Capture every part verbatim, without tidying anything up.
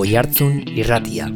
Oihartzun Irratia.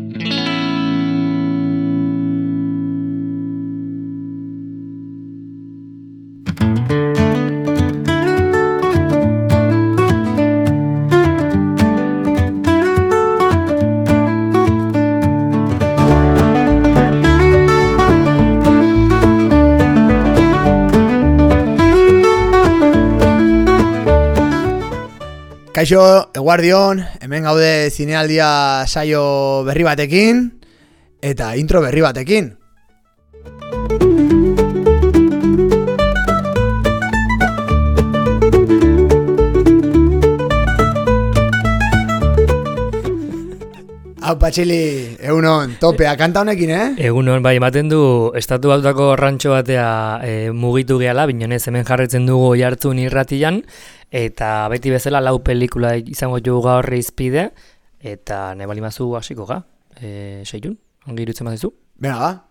Kaixo, eguardion, hemen gaude zinealdia saio berri batekin eta intro berri batekin. Hau patxili, egunon, topea, kanta honekin, eh? Egunon, bai, ematen du, estatu batutako rantxo batea e, mugitu gehala, binonez hemen jarretzen dugu Oihartzun Irratian, eta beti bezala lau pelikula izango jugu gaur izpide, eta ne balimazu hasiko ga, e, seitun, ongi irutzen mazizu? Bena, ba.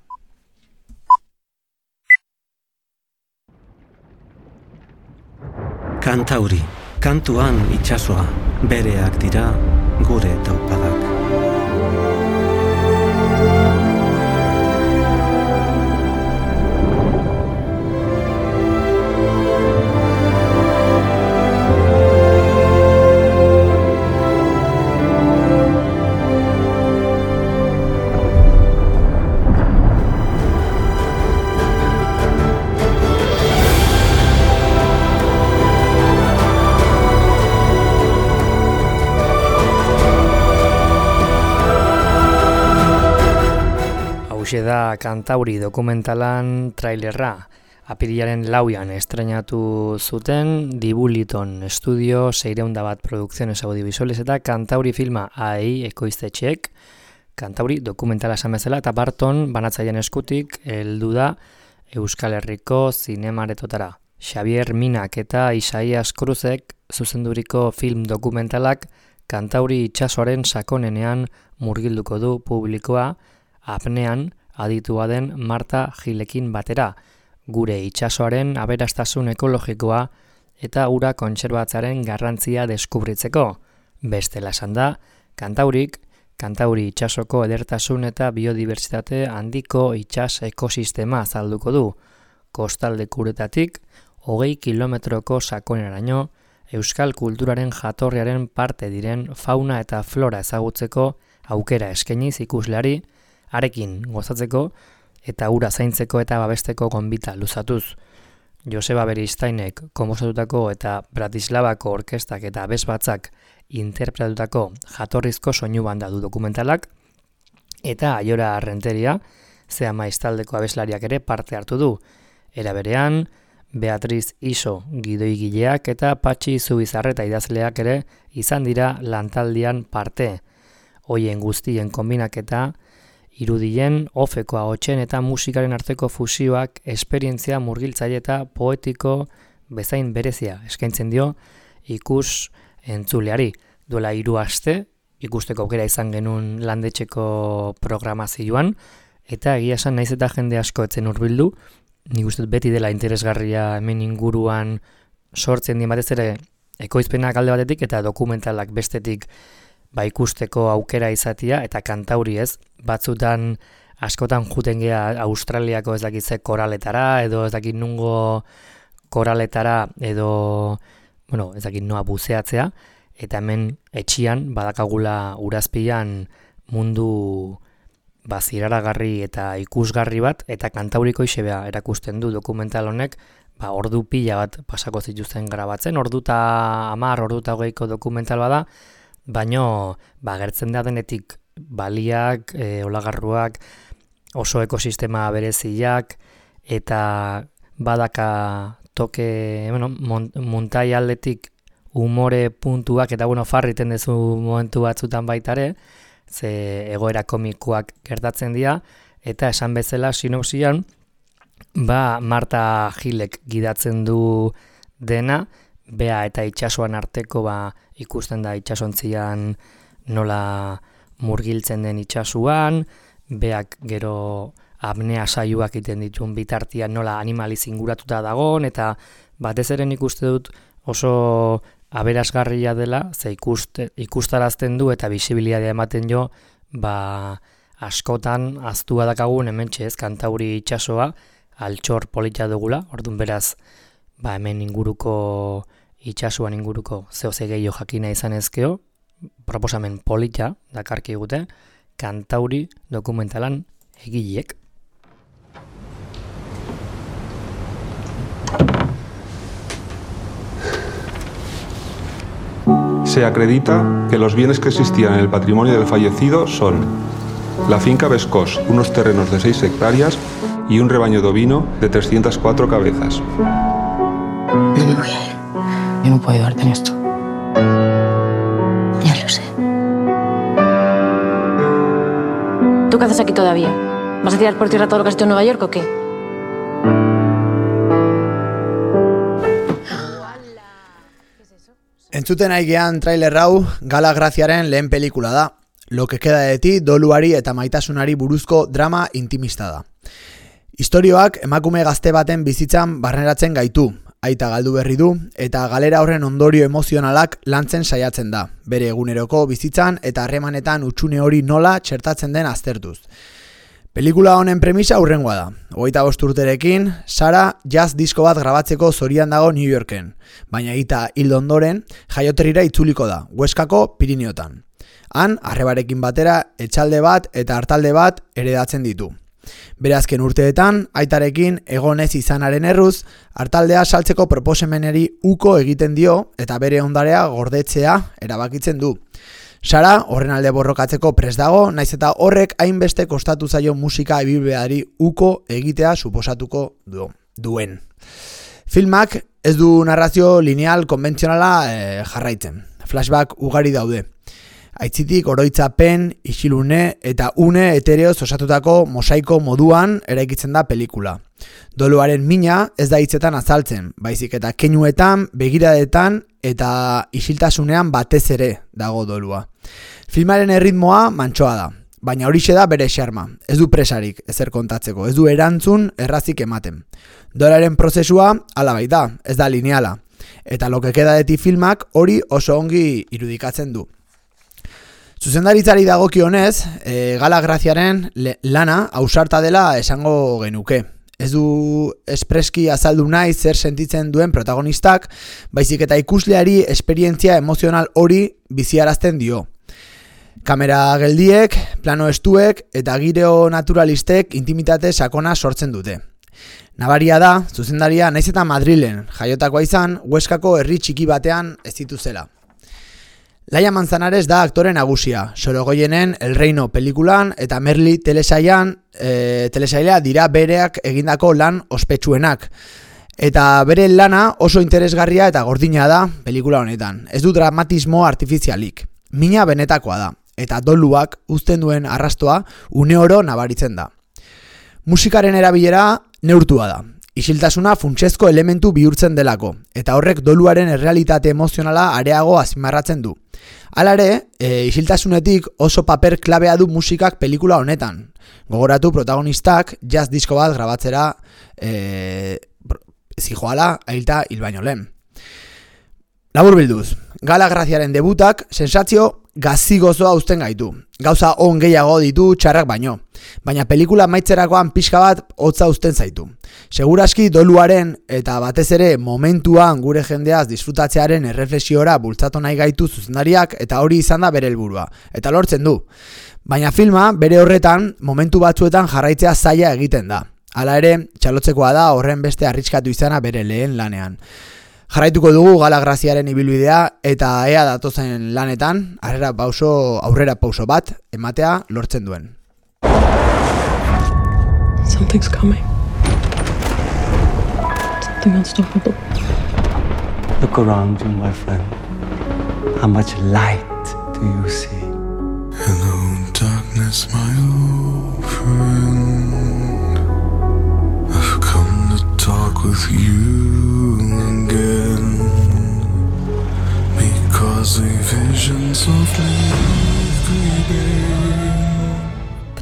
Kantauri, kantuan itsasoa, bereak dira gure taupadak. Da Kantauri dokumentalan trailerra apirilaren lauan estrenatu zuten Dibuliton Estudio seiehun bat Producciones Audiovisuales eta Kantauri filma ai ekoiztetxeek Kantauri dokumentala esan bezala eta Barton banatzaileen eskutik heldu da Euskal Herriko zinemaretotara. Xavier Minak eta Isaias Cruzek zuzenduriko film dokumentalak Kantauri itsasoaren sakonenean murgilduko du publikoa apnean aditua den Marta Gilekin batera, gure itsasoaren aberastasun ekologikoa eta ura kontserbatzearen garrantzia deskubritzeko. Bestela esan da, Kantaurik, Kantauri itsasoko edertasun eta biodibertsitate handiko itsas ekosistema azalduko du. Kostaldekuretatik, hogei kilometroko sakoneraino, euskal kulturaren jatorriaren parte diren fauna eta flora ezagutzeko aukera eskainiz ikusleari, arekin gozatzeko eta ura zaintzeko eta babesteko gonbita luzatuz. Joseba Beristainek konposatutako eta Bratislavako orkestak eta abesbatzak interpretatutako jatorrizko soinu banda du dokumentalak, eta Aiora Renteria, Zea Maiztaldeko abeslariak ere parte hartu du. Era berean, Beatriz Iso gidoigileak eta Patxi Zubizarreta idazleak ere izan dira lantaldian parte. Hoien guztien konbinaketa, irudien, ofeko ahotsen eta musikaren arteko fusioak esperientzia murgiltzaile eta poetiko bezain berezia eskaintzen dio ikus entzuleari. Duela hiru aste, ikusteko aukera izan genuen landetxeko programazioan, eta egia esan naiz eta jende asko etzen hurbildu, nik uste beti dela interesgarria hemen inguruan sortzen dien batez ere ekoizpenak alde batetik eta dokumentalak bestetik ba ikusteko aukera izatia eta Kantauri ez, batzutan askotan juten gea Australiako ez dakit ze koraletara edo ez dakit nungo koraletara edo bueno, ez dakit noa buzeatzea eta hemen etxian badakagula urazpian mundu baziraragarri eta ikusgarri bat eta Kantauriko isebea erakusten du dokumental honek, ba ordu pila bat pasako zituzten grabatzen, ordu eta hamar, ordu eta hogeiko dokumental bada, baino ba gertzen da denetik baliak, e, olagarruak, oso ekosistema bereziak eta badaka toke, bueno, montai aldetik umore puntuak eta bueno, farriten dezu momentu batzutan baitare, ze egoera komikoak gertatzen dira eta esan bezala sinopsian ba Marta Gilek gidatzen du dena, bea eta itsasoan arteko ba ikusten da itsasontzian nola murgiltzen den itsasuan, beak gero apnea saioak egiten dituen bitartian nola animaliz inguratuta dagon, eta batez ere nik uste dut oso aberasgarria dela, ze ikust, ikustarazten du eta bisibilitatea ematen jo, ba, askotan aztua dakagun hementxe ez, Kantauri itsasoa, altxor polita dugula, orduan beraz, ba, hemen inguruko, itsasoan inguruko zehose gehiago jakina izan ezkeo, proposamen polita dakarki gute, Kantauri dokumentalan egileek. Se acredita que los bienes que existían en el patrimonio del fallecido son la finca Vescós, unos terrenos de seis hectáreas y un rebaño de ovino de trescientas cuatro cabezas. No me voy a ir. Yo no puedo ayudarte en esto. Ya lo sé. ¿Tú qué haces aquí todavía? ¿Vas a tirar por tierra todo lo que has hecho en Nueva York o qué? Entzuten aigean trailer hau Gala Graziaren lehen pelikula da. Lo que queda de ti doluari eta maitasunari buruzko drama intimista da. Istorioak emakume gazte baten bizitzan barneratzen gaitu, aita galdu berri du, eta galera horren ondorio emozionalak lantzen saiatzen da, bere eguneroko bizitzan eta harremanetan hutsune hori nola txertatzen den aztertuz. Pelikula honen premisa hurrengoa da. Hogeita bost urterekin, Sara jazz disko bat grabatzeko zorian dago New Yorken, baina eta hildo ondoren jaioterrira itzuliko da, Hueskako Piriniotan. Han, arrebarekin batera, etxalde bat eta hartalde bat heredatzen ditu. Bere azken urteetan, aitarekin egonez izanaren erruz, hartaldea saltzeko proposemeneri uko egiten dio eta bere ondarea gordetzea erabakitzen du. Sara horren alde borrokatzeko prest dago, naiz eta horrek hainbeste kostatu zaio musika ibilbideari uko egitea suposatuko du, duen. Filmak ez du narrazio lineal konbentzionala eh, jarraitzen. Flashback ugari daude. Aitzitik oroitzapen, isilune eta une etereoz osatutako mosaiko moduan eraikitzen da pelikula. Doluaren mina ez da hitzetan azaltzen, baizik eta keinuetan, begiradetan eta isiltasunean batez ere dago dolua. Filmaren erritmoa mantsoa da, baina horixe da bere xarma. Ez du presarik ezer kontatzeko, ez du erantzun errazik ematen. Doluaren prozesua hala baita, ez da lineala. Eta Lo que queda de ti filmak hori oso ongi irudikatzen du. Zuzendaritzari dagokionez, e, Gala Graziaren lana ausarta dela esango genuke. Ez du espreski azaldu nahi zer sentitzen duen protagonistak, baizik eta ikusleari esperientzia emozional hori biziarazten dio. Kamera geldiek, plano estuek eta gireo naturalistek intimitate sakona sortzen dute. Nabaria da, zuzendaria naiz eta Madrilen jaiotakoa izan, Hueskako herri txiki batean ez dituzela. Laia Manzanares da aktore nagusia, Sorogoyenen El Reino pelikulan eta Merli telesailan, e, telesailea dira bereak egindako lan ospetsuenak. Eta bere lana oso interesgarria eta gordina da pelikula honetan. Ez du dramatismo artifizialik. Mina benetakoa da, eta doluak uzten duen arrastoa une oro nabaritzen da. Musikaren erabilera neurtua da. Isiltasuna funtsezko elementu bihurtzen delako, eta horrek doluaren errealitate emozionala areago azpimarratzen du. Hala ere, e, isiltasunetik oso paper klabea du musikak pelikula honetan. Gogoratu protagonistak jazz disko bat grabatzera e, zijoala ailta hil baino lehen. Labur bilduz, Gala Graziaren debutak sentsazio gazigozoa uzten gaitu. Gauza on gehiago ditu txarrak baino, baina pelikula maitzerakoan pixka bat hotza uzten zaitu. Seguraski doluaren eta batez ere momentuan gure jendeaz disfrutatzearen erreflexiora bultzatu nahi gaitu zuzendariak eta hori izan da bere helburua, eta lortzen du. Baina filma bere horretan momentu batzuetan jarraitzea zaila egiten da. Hala ere, txalotzekoa da horren beste arriskatu izana bere lehen lanean. Jarraituko dugu Gala Graziaren ibilbidea eta ea datozen lanetan aurrera pauso, aurrera pauso bat ematea lortzen duen. Something's coming. Something unstoppable. Look around you, my friend. How much light do you see? Hello, darkness, my old friend. I've come to talk with you again, because the visions of me creeping.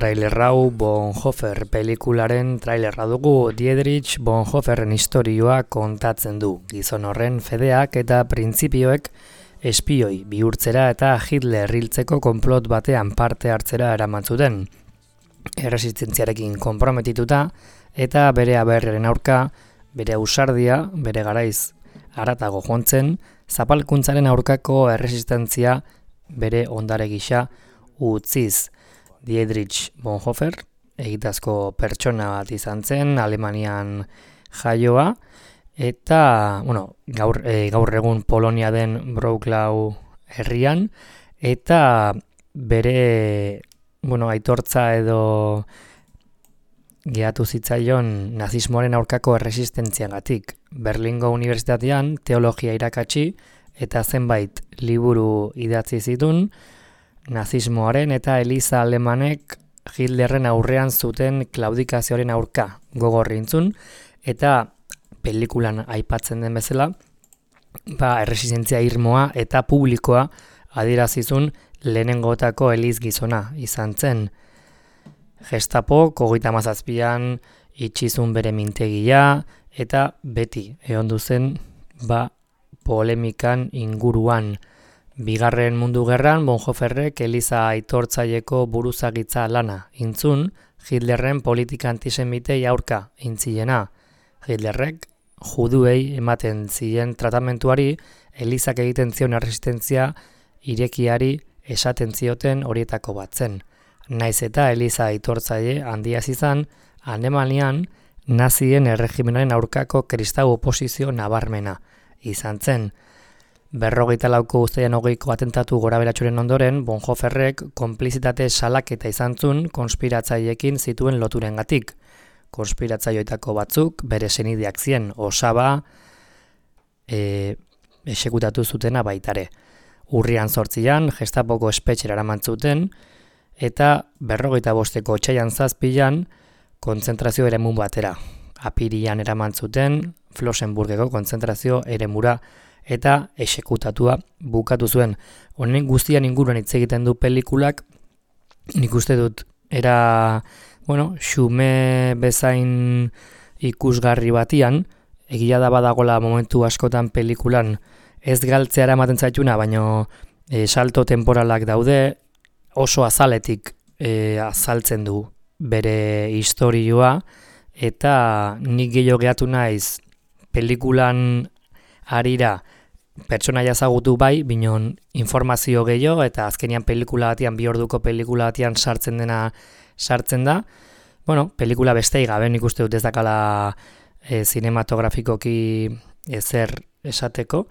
trailer hau Bonhoeffer pelikularen trailerra dugu. Dietrich Bonhoefferren istorioa kontatzen du. Gizon horren fedeak eta printzipioek espioi bihurtzera eta Hitler hiltzeko konplot batean parte hartzera eramantzuten. Erresistentziarekin konprometituta eta bere aberriaren aurka, bere ausardia, bere garaiz haratago jontzen, zapalkuntzaren aurkako erresistentzia bere ondare gisa utziz. Dietrich Bonhoeffer, egitazko pertsona bat izan zen, Alemanian jaioa, eta bueno, gaur, e, gaur egun Polonia den Wrocław herrian, eta bere bueno, aitortza edo gehatu zitzaion nazismoaren aurkako erresistentziagatik. Berlingo Unibertsitatean teologia irakatsi eta zenbait liburu idatzi zituen, nazismoaren eta Eliza Alemanek Hitlerren aurrean zuten klaudikazioaren aurka gogorrintzun, eta pelikulan aipatzen den bezala, ba, erresistentzia irmoa eta publikoa adierazizun lehenengotako Eliz gizona izan zen. Gestapo hogeita hamazazpian itxizun bere mintegia eta beti egondu zen ba, polemikan inguruan. Bigarren mundu gerran Bonhoefferrek Eliza aitortzaileko buruzagitza lana intzun, Hitlerren politika antisemitei aurka intziena. Hitlerrek juduei ematen ziren tratamentuari Elizak egiten zion erresistentzia irekiari esaten zioten horietako bat zen. Naiz eta Eliza aitortzaile handia izan, Alemanian nazien erregimenaren aurkako kristau oposizio nabarmena izan zen. Berrogeita lauko uztailean hogeiko atentatu goraberatsuren ondoren, Bonhoefferrek konplizitate salaketa izan zuen konspiratzaileekin zituen loturengatik. Konspiratzaileetako batzuk bere senideak zien, osaba e, esekutatu zutena baitare. Urrian zortzian, Gestapoko espetxera eraman zuten, eta berrogeita bosteko otsailean zazpilan kontzentrazio eremu batera. Apirian eraman zuten, Flossenburgeko kontzentrazio eremura eta esekutatua bukatu zuen. Honen guztian inguruan hitz egiten du pelikulak, nik uste dut era, bueno, xume bezain ikusgarri batian, egia da badagola momentu askotan pelikulan ez galtzea eramaten zaituna, baino e, salto temporalak daude, oso azaletik e, azaltzen du bere istorioa, eta nik gehiago gehatu naiz pelikulan arira pertsonaia ezagutu bai, binon informazio gehiago, eta azkenian pelikula batean, bi orduko pelikula batean sartzen dena sartzen da. Bueno, pelikula bestei gabe nik uste dut ez dakala e, zinematografikoki ezer esateko,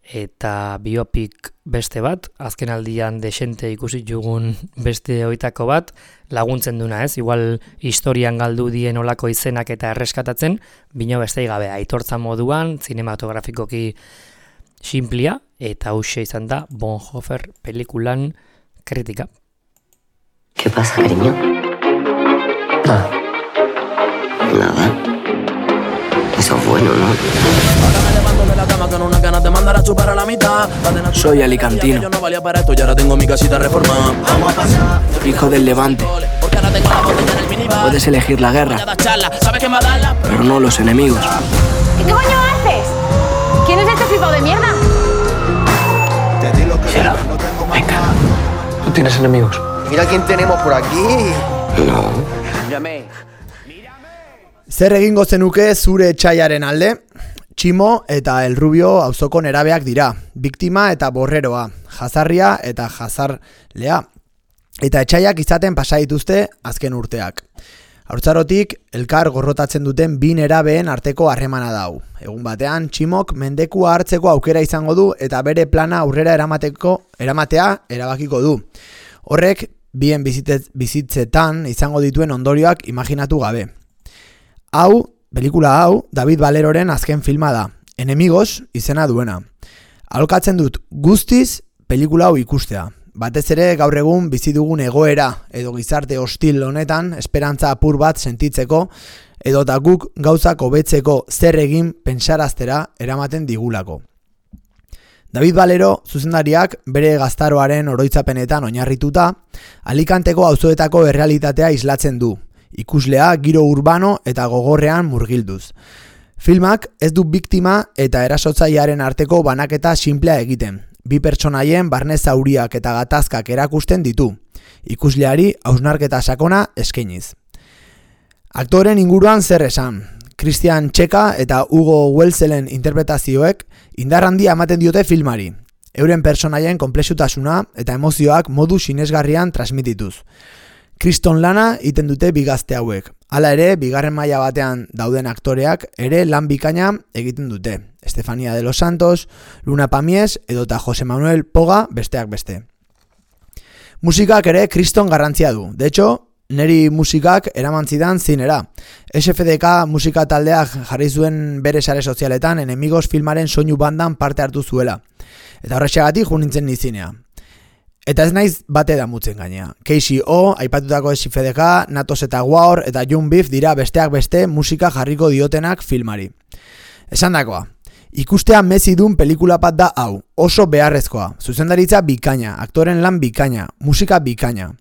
eta biopik beste bat, azken aldian desente ikusi jugun beste oitako bat, laguntzen duna ez, igual historian galdu dien olako izenak eta erreskatatzen, bino bestei gabe, aitortza moduan, zinematografikoki simplia, eta hauxe izan da Bonhoeffer pelikulan kritika. ¿Qué pasa, cariño? Nada. Nada. Eso es bueno, ¿no? Soy alicantino, hijo del Levante. Puedes elegir la guerra, pero no los enemigos. ¿Qué coño haces? ¿Quién es este flipado de mierda? Cielo, venga. ¿Tú tienes enemigos? Mira quién tenemos por aquí. No. Zer egingo zenuke zure etxaiaren alde? Tximo eta El Rubio auzoko nerabeak dira, biktima eta borreroa, jazarria eta jazarlea. Eta etxaiak izaten pasa dituzte azken urteak. Haurtzarotik elkar gorrotatzen duten bi nerabeen arteko harremana dau. Egun batean, Tximok mendekua hartzeko aukera izango du eta bere plana aurrera eramateko eramatea erabakiko du. Horrek bien bizitzetan izango dituen ondorioak imaginatu gabe. Hau, pelikula hau, David Valeroren azken filma da, Enemigos izena duena. Aholkatzen dut guztiz pelikula hau ikustea. Batez ere gaur egun bizi dugun egoera edo gizarte hostil honetan esperantza apur bat sentitzeko edota guk gauzak hobetzeko zer egin pentsaraztera eramaten digulako. David Valero zuzendariak bere gaztaroaren oroitzapenetan oinarrituta, Alicanteko auzoetako errealitatea islatzen du, ikuslea giro urbano eta gogorrean murgilduz. Filmak ez du biktima eta erasotzailearen arteko banaketa sinplea egiten, bi pertsonaien barne zauriak eta gatazkak erakusten ditu, ikusleari hausnarketa sakona eskainiz. Aktoren inguruan zer esan, Christian Txeka eta Hugo Welzelen interpretazioek indar handia ematen diote filmari, euren pertsonaien konplexutasuna eta emozioak modu sinesgarrian transmitituz. Kriston lana iten dute bigazte hauek. Hala ere, bigarren maila batean dauden aktoreak ere lan bikaina egiten dute. Estefania de los Santos, Luna Pamies edota Jose Manuel Poga besteak beste. Musikak ere kriston garrantzia du. De hecho, neri musikak eraman zidan zinera. S F D K musika taldeak jarri zuen bere sare sozialetan Enemigos filmaren soinu bandan parte hartu zuela. Eta horrexegatik jo nintzen nizinea. Eta ez naiz bate damutzen gainea. K C O, aipatutako S F D K, Natos eta War eta Young Beef dira besteak beste musika jarriko diotenak filmari. Esandakoa, ikustea mezidun pelikula bat da hau, oso beharrezkoa, zuzendaritza bikaina, aktoren lan bikaina, musika bikaina.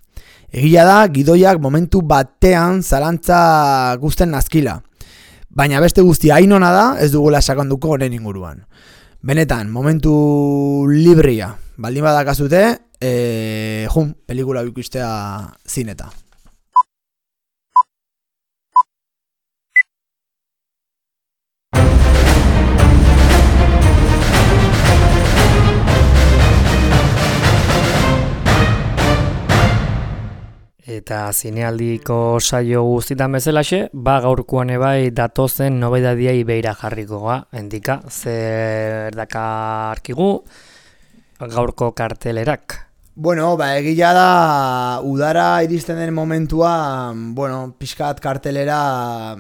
Egia da, gidoiak momentu batean zalantza guzten nazkila. Baina beste guztia hainona da, ez dugula sakonduko honen inguruan. Benetan, momentu libria, baldin badakazute, e, jun, pelikula ikustea zineta. Eta zinealdiko saio guztitan bezalaxe, ba gaurkoan ebai datozen nobedadiai beira jarrikoa, endika, zer dakarkigu gaurko kartelerak. Bueno, ba, egia da, udara iristen den momentua, bueno, pixkat kartelera,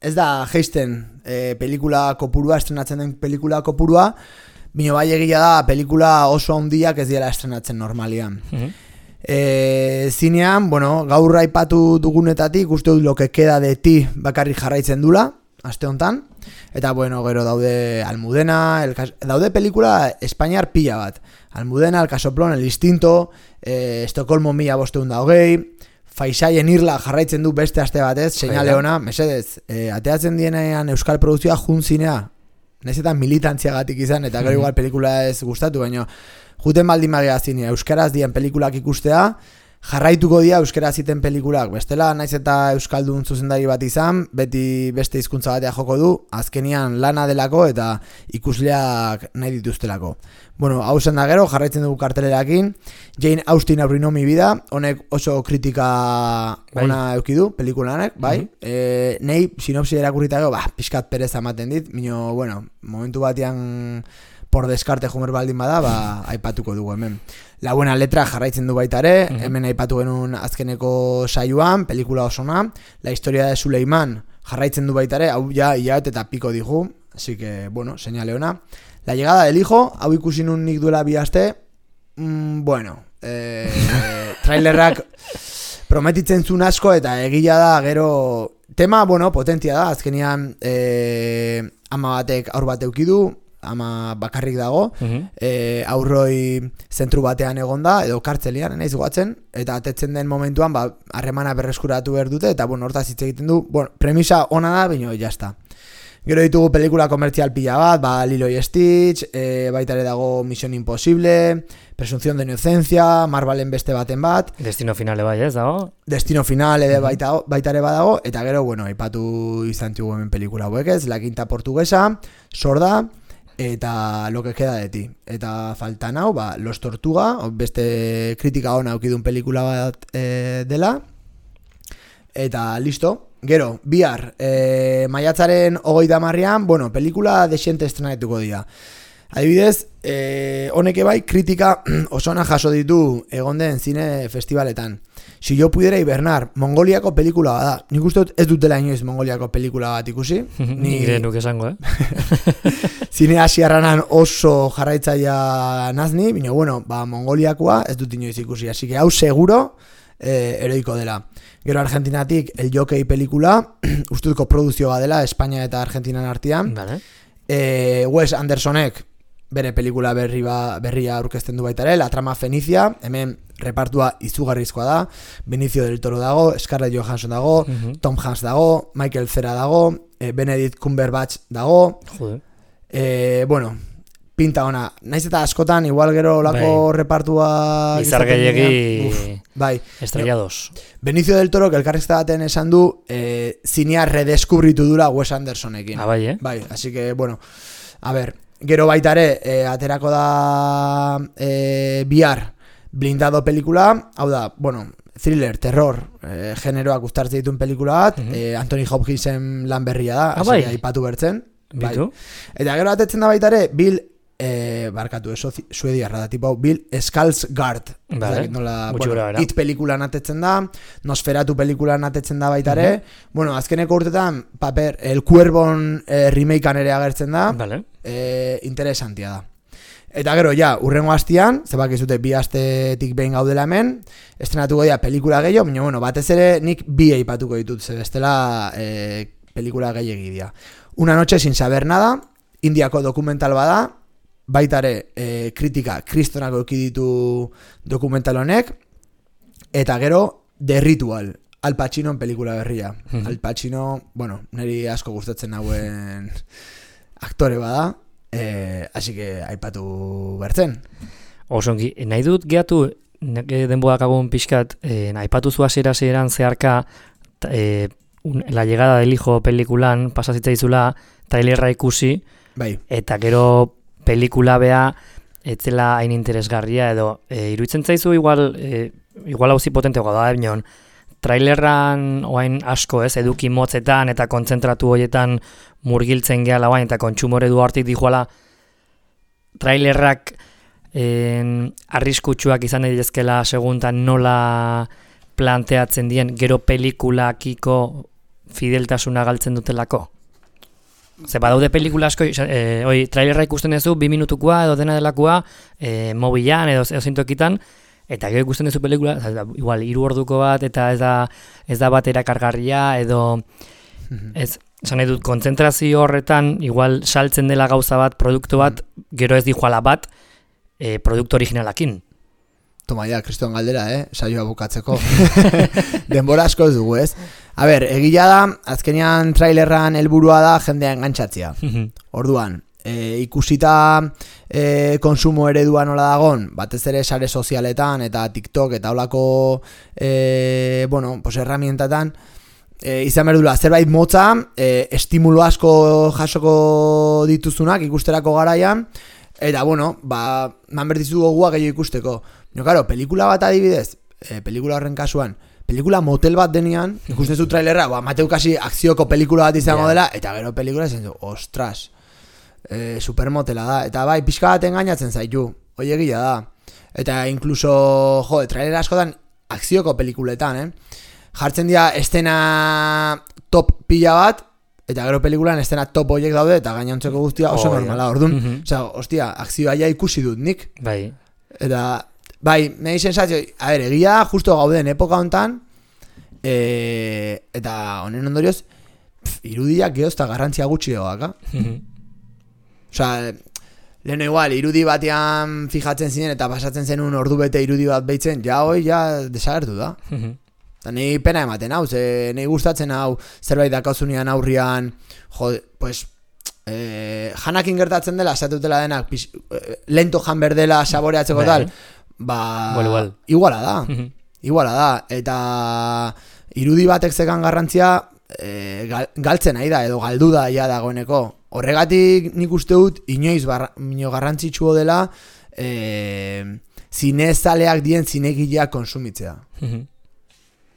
ez da geisten e, pelikula kopurua, estrenatzen den pelikula kopurua, bino bai egia da, pelikula oso handiak ez diela estrenatzen normalian. Mm-hmm. E, zinean, bueno, gaur aipatu dugunetatik uste dut lo que queda de ti bakarrik jarraitzen dula, aste hontan, eta bueno, gero daude Almudena, el, daude pelikula Espainiar pila bat, Almudena, El Casoplón, El Instinto, eh, Estocolmo mila bosteun da hogei, Faisaien Irla jarraitzen du beste aste batez, seinale ona, mesedez, eh, ateatzen dienean euskal produkzioa jun zinea, nahiz eta militantziagatik izan, eta gero igual pelikula ez gustatu, baina juten baldin magia zinea, euskaraz dien pelikulak ikustea, jarraituko dia euskaraz ziten pelikulak, bestela naiz eta euskaldun zuzendari bat izan, beti beste hizkuntza batea joko du, azkenian lana delako eta ikusleak nahi dituztelako. Bueno, hau zen da gero, jarraitzen dugu kartelerakin, Jane Austen Aurrino mi vida, honek oso kritika ona eukidu, pelikulanek, bai, mm-hmm. e, nei sinopsi erakurrita gero, bah, pixkat perez amaten dit, mino, bueno, momentu batean por descarte jumer baldin bada, ba, aipatuko dugu hemen. La buena letra jarraitzen du baita ere, uh-huh. hemen aipatu genuen azkeneko saioan, pelikula osona, La historia de Suleiman jarraitzen du baita ere, hau ja hilabete eta piko digu, así que, bueno, señale ona. La llegada del hijo, hau ikusi nun nik duela bi aste, mm, bueno, eh, trailerrak prometitzen zuen asko eta egila da, gero, tema, bueno, potentia da, azkenian eh, ama batek aur bat eukidu, ama bakarrik dago, uh-huh. e, aurroi zentru batean egonda, edo kartzelian, naiz goatzen, eta atetzen den momentuan, ba, harremana berreskuratu behar dute, eta, bueno, hortaz hitz egiten du, bueno, premisa ona da, baina jazta. Gero ditugu pelikula komertzial pila bat, ba, Lilo y Stitch, e, baita ere dago Misión Imposible, Presunción de Inocencia, Marvelen beste baten bat. Destino Finale bai ez dago? Destino Finale uh-huh. baita, baita ere badago, eta gero, bueno, aipatu izan txugu hemen pelikula hauek ez, La Quinta Portuguesa, Sorda, eta Lo que queda de ti. Eta faltan hau, ba, Los Tortuga, beste kritika ona aukidun pelikula bat e, dela. Eta listo. Gero, bihar, e, maiatzaren hogeita hamarrean, bueno, pelikula desiente estrenaetuko dira. Adibidez, e, honek bai kritika osona jaso ditu egon den zine festivaletan. Si yo pudiera hibernar, Mongoliako pelikula bat da. Nik uste dut ez dutela inoiz Mongoliako pelikula bat ikusi. Ni gire nuke esango, eh? Zine asiarranan oso jarraitzaia nazni, baina bueno, ba, Mongoliakoa ez dut inoiz ikusi. Así que hau seguro eh, eroiko dela. Gero Argentinatik El Jockey pelikula, ustuzko produzioa dela, Espainia eta Argentinan artean. Vale. Eh, Wes Andersonek bere pelikula berri ba, berria aurkezten du baita ere, La trama Fenicia, hemen repartua izugarrizkoa da, Benicio del Toro dago, Scarlett Johansson dago, uh-huh. Tom Hanks dago, Michael Cera dago, eh, Benedict Cumberbatch dago, Joder. Eh, bueno, pinta ona. Naiz eta askotan, igual gero lako bai. Repartua... Izar gehiagi... Bai. Estrellados. Benicio del Toro, que elkarrizketa baten esan du, eh, zinea redeskubritu dura Wes Andersonekin. Ah, bai, eh? Bai, así que, bueno, a ver, gero baita ere, eh, aterako da eh, bihar blindado pelikula, hau da, bueno, thriller, terror, eh, generoak uztartzen dituen pelikula bat, uh-huh. eh, Anthony Hopkinsen lan berria da, ah, bai. aipatu bertzen. Bai. Bitu? Eta gero atetzen da baita ere, Bill, eh, barkatu, eso suediarra da, tipo, Bill Skarsgård. Vale. Nola, bueno, It pelikulan atetzen da, Nosferatu pelikulan atetzen da baita ere, uh-huh. bueno, azkeneko urtetan, paper, El Cuervon eh, remakean ere agertzen da, vale. eh, interesantia da. Eta gero, ja, urrengo hastian, zebak izute bi astetik behin gaudela hemen, estrenatuko dira pelikula gehiago, baina, bueno, batez ere nik bi eipatuko ditut, ze bestela eh, pelikula gehiagi dira. Una noche sin saber nada, Indiako dokumental bada, baita ere eh, kritika kristonako ekiditu dokumental honek, eta gero The Ritual, Al Pacinoen pelikula berria. Mm-hmm. Al Pacino, bueno, niri asko gustatzen hauen aktore bada, eh, así que aipatu bertzen. Osongi, nahi dut gehatu, denboak agun pixkat, eh, aipatu zu hasiera hasieran zeharka, eh, La llegada del hijo pelikulan pasazitzaizula trailerra ikusi, bai. Eta gero pelikula bea etzela hain interesgarria edo e, iruditzen zaizu igual e, igual hauzi potenteagoa da bion trailerran oain asko ez eduki motzetan eta kontzentratu hoietan murgiltzen gehala oain eta kontsumore du hartik dijoala trailerrak en, arriskutsuak izan edizkela seguntan nola planteatzen dien gero pelikulakiko fideltasuna galtzen dutelako. Ze badaude pelikula asko, eh, oi, trailerra ikusten duzu, bi minutukoa edo dena delakoa, eh, mobilan edo, edo zintokitan, eta gero ikusten duzu pelikula, igual, hiru orduko bat, eta ez da, ez da bat erakargarria, edo, ez, esan nahi dut, kontzentrazio horretan, igual, saltzen dela gauza bat, produktu bat, gero ez dijoala bat, eh, produktu originalakin. Toma ya, Kriston galdera, eh? Saioa bukatzeko. Denbora asko ez dugu, ez? A ber, egila da, azkenean trailerran helburua da jendea engantzatzea. Orduan, e, ikusita e, konsumo eredua nola dagon, batez ere sare sozialetan eta TikTok eta holako e, bueno, pues herramientatan, e, izan berdula, zerbait motza, e, estimulo asko jasoko dituzunak ikusterako garaian, eta bueno, ba, man berdizu gogua gehiago ikusteko. No, claro, pelikula bat adibidez, eh, pelikula horren kasuan, pelikula motel bat denean, ikusten zu trailerra, ba, mateu kasi akzioko pelikula bat izango yeah. dela, eta gero pelikula esan du, ostras, eh, supermotela da, eta bai, pixka bat engainatzen zaitu, hoi egia da, eta incluso, jo, trailera askotan akzioko pelikuletan, eh? Jartzen dira estena top pila bat, eta gero pelikulan estena top horiek daude, eta gainontzeko guztia oso oh, normala, orduan, mm-hmm. Osea, ostia, akzioa ja ikusi dut nik, bai, eta... Bai, nahi sensazio, a ver, egia justo gauden epoka hontan, e, eta honen ondorioz, pf, irudiak geozta garrantzia gutxi dagoak, Osa, leheno igual, irudi batean fijatzen zinen eta pasatzen zen un ordu bete irudi bat behitzen, ja hoi, ja desagertu da. Eta nahi pena ematen hau, ze nahi gustatzen hau, zerbait dakauzunean aurrian, jo, pues... Eh, janakin gertatzen dela, esatutela denak, pis, eh, lento jan berdela saboreatzeko tal, ba, well, well. iguala da, iguala da, eta irudi batek zekan garrantzia e, gal, galtzen nahi da, edo galdu da ja dagoeneko. Horregatik nik uste dut, inoiz barra, ino garrantzitsuo dela, e, zinezaleak dien zinegileak konsumitzea.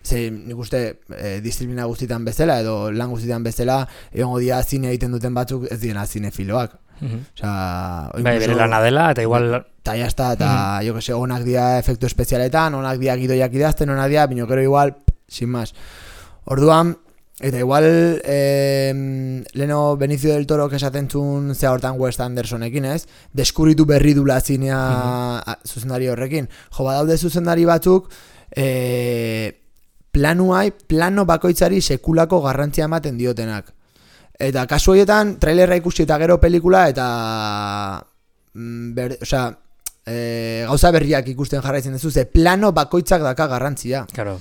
Ze, nik uste e, disiplina guztietan bezala, edo lan guztietan bezala, egongo dia zine egiten duten batzuk ez diena zinefiloak. Uh-huh. Osa, bai, bere lana dela, eta igual... Eta jazta, eta uh-huh. jo que se, onak dia efektu espezialetan, onak dia gidoiak idazten, onak dia, bino kero igual, sin más. Orduan, eta igual, eh, leno Benicio del Toro esaten zuen zea hortan Wes Andersonekin, ez? Deskuritu berri dula zinea uh-huh. zuzendari horrekin. Jo, badaude zuzendari batzuk, eh, planuai, plano bakoitzari sekulako garrantzia ematen diotenak. Eta kasu horietan, trailerra ikusi eta gero pelikula, eta ber, osea, e, gauza berriak ikusten jarraitzen duzu, ze plano bakoitzak daka garrantzia. Claro.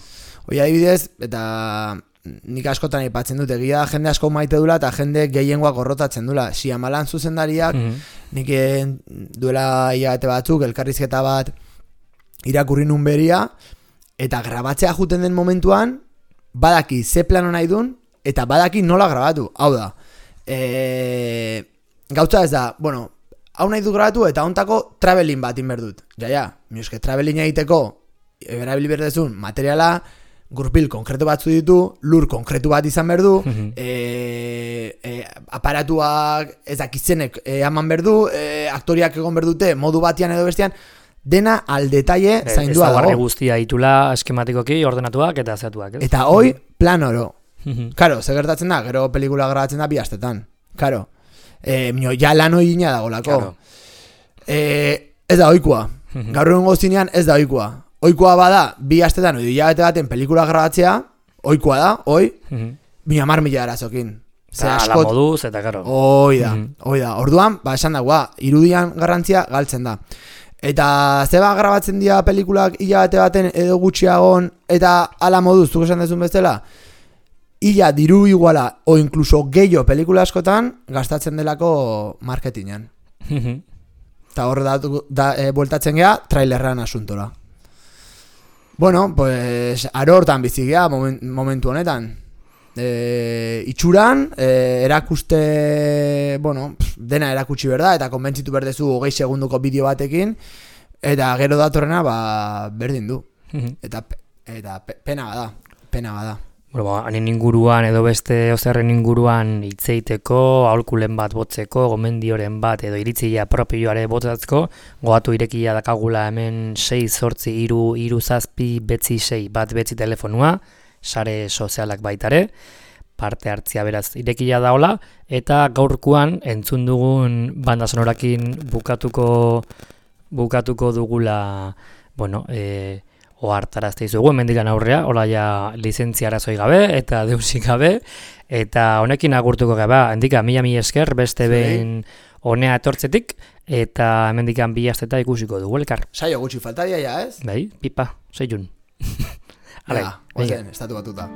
Hoi adibidez, eta nik askotan aipatzen dut, egia jende asko maite dula eta jende gehiengoak gorrotatzen dula. Shyamalan zuzendariak, mm-hmm. nik duela hilabete batzuk, elkarrizketa bat irakurri nun beria, eta grabatzea juten den momentuan, badaki ze plano nahi dun, eta badaki nola grabatu. Hau da, e, gautza ez da, bueno, hau nahi du grabatu eta ontako traveling bat inberdut. Ja, ja, mioske traveling egiteko, erabili berdezun materiala, gurpil konkretu batzu ditu, lur konkretu bat izan berdu, mm-hmm. e, e, aparatuak ez dakizenek e, eman berdu, e, aktoriak egon berdute modu batian edo bestean, dena al detalle e, zaindua dago. Ez guztia itula eskematikoki ordenatuak eta zeatuak. Ez? Eta hoi plan oro. Mm-hmm. Karo, zer gertatzen da, gero pelikula grabatzen da bi astetan. Karo, e, mino, ja lan hoi gina dagolako. Claro. E, ez da oikua. Mm-hmm. Gaur egun gozinean ez da oikua. Oikoa bada, bi astetan, oidu hilabete baten pelikula grabatzea, oikoa da, oi, mm-hmm. mi amar mila arazokin. Eta ala moduz, eta karo. Oi da, mm-hmm. oi da. Orduan, ba, esan dagoa, irudian garrantzia galtzen da. Eta zeba grabatzen dira pelikulak hilabete baten edo gutxiagon, eta ala moduz, zuk esan dezun bezala, illa diru iguala, o inkluso gehiago pelikula askotan, gastatzen delako marketingan. Mm-hmm. Eta hor da, da e, bueltatzen geha, trailerran asuntora. Bueno, pues aro hortan bizigea moment, momentu honetan. E, itxuran, e, erakuste, bueno, dena erakutsi berda, eta konbentzitu berdezu hogei segunduko bideo batekin, eta gero datorrena, ba, berdin du. Eta, eta pena bada, pena bada. Bueno, hanin inguruan edo beste ozerren inguruan hitzeiteko, aholkulen bat botzeko, gomendioren bat edo iritzia propioare botzatzko, goatu irekia dakagula hemen sei zortzi iru iru zazpi betzi sei bat betzi telefonua, sare sozialak baitare, parte hartzia beraz irekia daola, eta gaurkoan entzun dugun banda sonorakin bukatuko bukatuko dugula, bueno, eh ohartarazte izugu, hemendikan aurrea, hola ja lizentzia arazoi gabe, eta deusik gabe, eta honekin agurtuko gabe, hendika mila mila esker, beste behin honea etortzetik, eta hemendikan bi asteta ikusiko dugu elkar. Saio gutxi faltaria ja, ez? Bai, pipa, seiun. Ja, ozen, estatu batuta.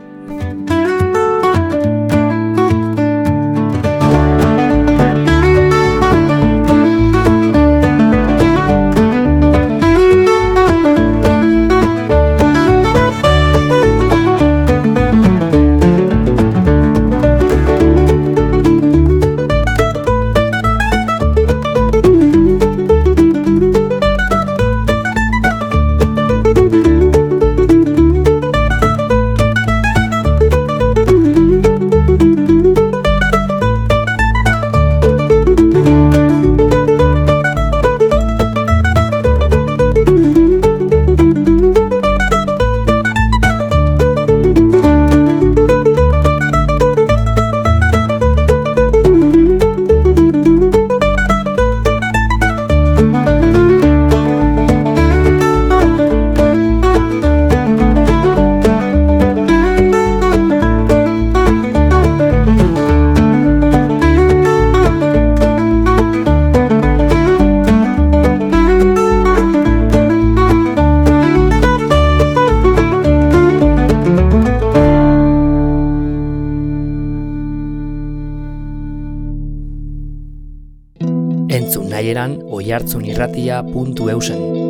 Entzun nahieran oihartzunirratia puntu eusen.